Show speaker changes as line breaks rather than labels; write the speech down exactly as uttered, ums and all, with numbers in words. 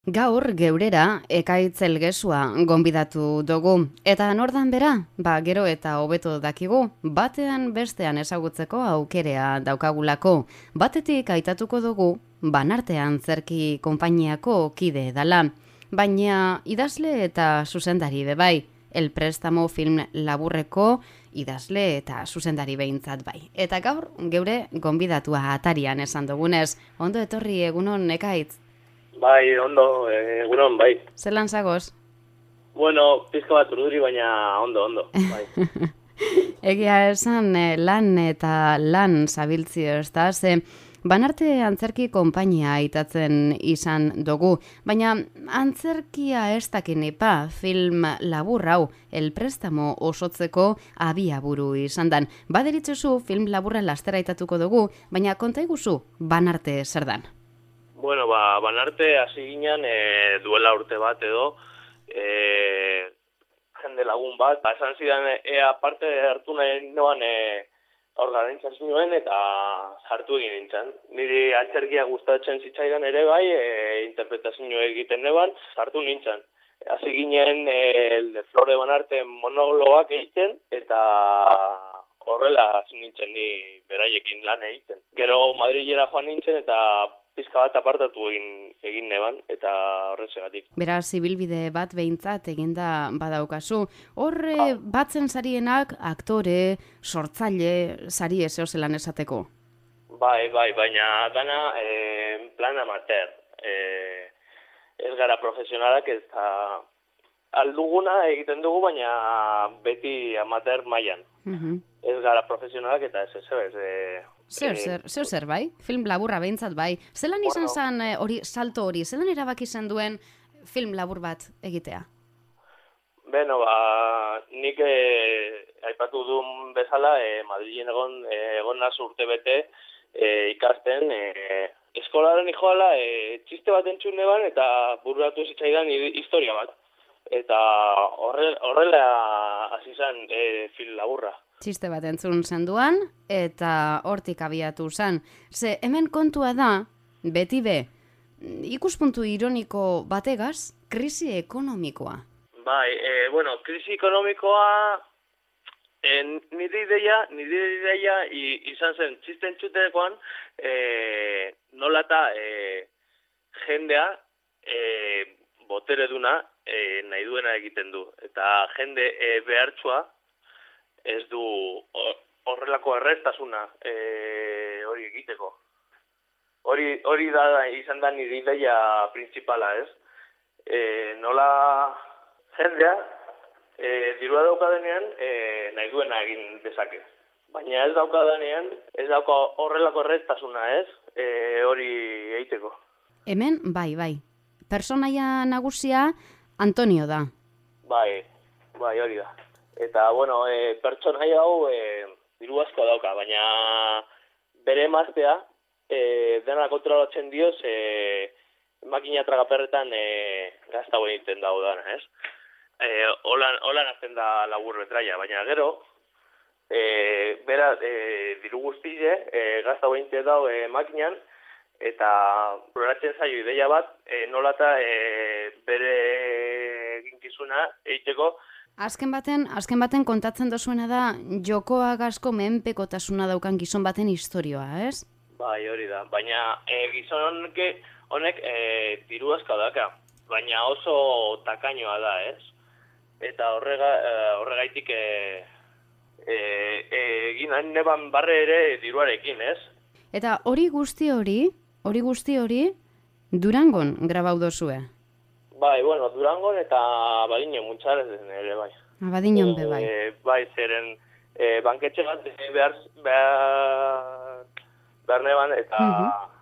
Gaur geurera Ekaitz Elgesua gonbidatu dugu. Eta nordan bera? Ba, gero eta hobeto dakigu, batean bestean ezagutzeko aukerea daukagulako. Batetik aitatuko dugu, Banartean Antzerki konpainiako kide dala. Baina idazle eta zuzendari bebai. El Prestamo film laburreko idazle eta zuzendari behintzat bai. Eta gaur geure gonbidatua atarian esan dugunez. Ondo etorri egunon Ekaitz?
Bai, ondo, egunon, bai.
Zelan zagoz?
Bueno, pizka bat urduri, baina ondo, ondo, bai.
Egia esan lan eta lan zabiltzio, ez da? Ze Banarte Antzerki konpainia aitatzen izan dugu, baina antzerkia ez dakinipa film labur hau El Prestamo osotzeko abiaburu izan dan. Baderitzuzu film laburra lastera aitatuko dugu, baina konta iguzu Banarte zer dan?
Bueno, ba, Banarte hasi ginen e, duela urte bat edo, e, jende lagun bat, ba, esan zidan ea parte hartu nahi noan e, organizazioen eta sartu egin nintzen. Niri antzerkia gustatzen zitzaidan ere bai, e, interpretazio egiten neban, sartu nintzen. Hasi ginen e, de Flore Banarte monologoak egiten eta horrela hasi nintzen ni beraiekin lan egiten. Gero Madrilera joan nintzen eta pizka bat apartatu egin, egin neban, eta horretzegatik.
Beraz, ibilbide bat behintzat eginda badaukazu. Horre ah. batzen sarienak aktore, sortzaile, sari ezeo zelan esateko?
Bai, bai, baina dana e, plan amateur. E, ez gara profesionalak ez da alduguna egiten dugu, baina beti amateur mailan.
Uh-huh.
Ez gara profesionalak eta ez ez ez. E,
Zeo zer, zeo zer bai? Film laburra behintzat bai. Zelan izan
bueno,
zen hori salto hori? Zelan erabaki zen duen film labur bat egitea?
Beno, ba, nik e, aipatu duen bezala, e, Madrilen egon, e, egon naz urte bete e, ikasten, e, eskolaren ijoala e, txiste bat entzun neban eta bururatu zitzaidan historia bat. Eta horre, horrela hasi zen e, film laburra.
Txiste bat entzun zenduan, eta hortik abiatu zen. Ze hemen kontua da, beti be, ikuspuntu ironiko bategaz, krisi ekonomikoa.
Bai, e, bueno, krisi ekonomikoa, e, nire ideia, nire ideia izan zen txiste entzutekoan, e, nola eta e, jendea, e, botere duna, e, nahi duena egiten du. Eta jende e, behartsua, ez du horrelako errestasuna e, hori egiteko. Hori, hori da izan da nire ideia principala, ez? E, nola jendea e, dirua daukadenean e, nahi duena egin dezake. Baina ez daukadenean, ez dauka horrelako errestasuna, ez? E, hori egiteko.
Hemen, bai, bai. Personaia nagusia Antonio da.
Bai, bai, hori da. Eta, bueno, e, pertsonai hau e, diru asko dauka, baina bere emaztea e, dena kontrolatzen dioz e, makina tragaperretan e, gazta egiten dago dana, ez? E, holan, holan azten da labur betraia, baina gero, e, bera e, diru guztile e, gazta egiten dago e, makinan, eta proratzen zaio ideia bat, e, nolata e, bere eginkizuna egiteko.
Azken baten, azken baten kontatzen dozuena da jokoak asko menpekotasuna daukan gizon baten historioa, ez?
Bai, hori da. Baina e, gizon honek, honek e, diru asko daka, baina oso takainoa da, ez? Eta horrega, e, horregaitik e, e, e, egin neban barre ere diruarekin, ez?
Eta hori guzti hori, hori guzti hori, Durangon grabau dozue?
Bai, bueno, Durangon eta Badiñon muntxarez ere, bai.
Badiñon be, bai.
E, bai, zeren e, banketxe bat behar, behar, behar neban eta, uh-huh.